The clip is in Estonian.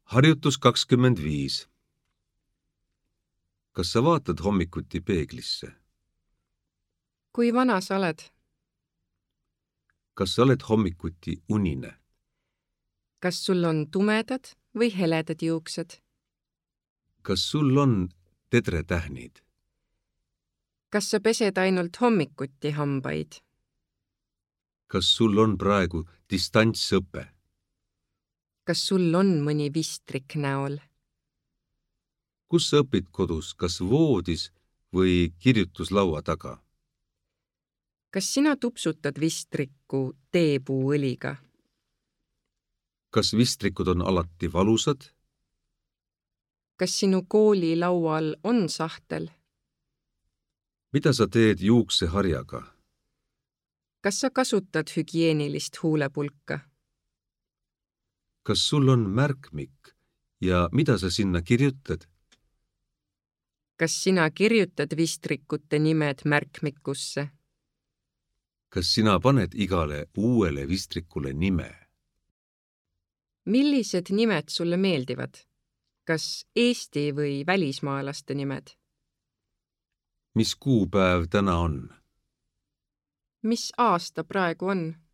Harjutus 25. Kas sa vaatad hommikuti peeglisse? Kui vana sa oled? Kas sa oled hommikuti unine? Kas sul on tumedad või heledad juuksed? Kas sul on tedretähnid? Kas sa pesed ainult hommikuti hambaid? Kas sul on praegu distantsõpe? Kas sul on mõni vistrik näol? Kus sa õpid kodus, kas voodis või kirjutuslaua taga? Kas sina tupsutad vistrikku teepuuõliga? Kas vistrikud on alati valusad? Kas sinu koolilaual on sahtel? Mida sa teed juukseharjaga? Kas sa kasutad hügieenilist huulepulka? Kas sul on märkmik ja mida sa sinna kirjutad? Kas sina kirjutad vistrikute nimed märkmikusse? Kas sina paned igale uuele vistrikule nime? Millised nimed sulle meeldivad? Kas Eesti või välismaalaste nimed? Mis kuupäev täna on? Mis aasta praegu on?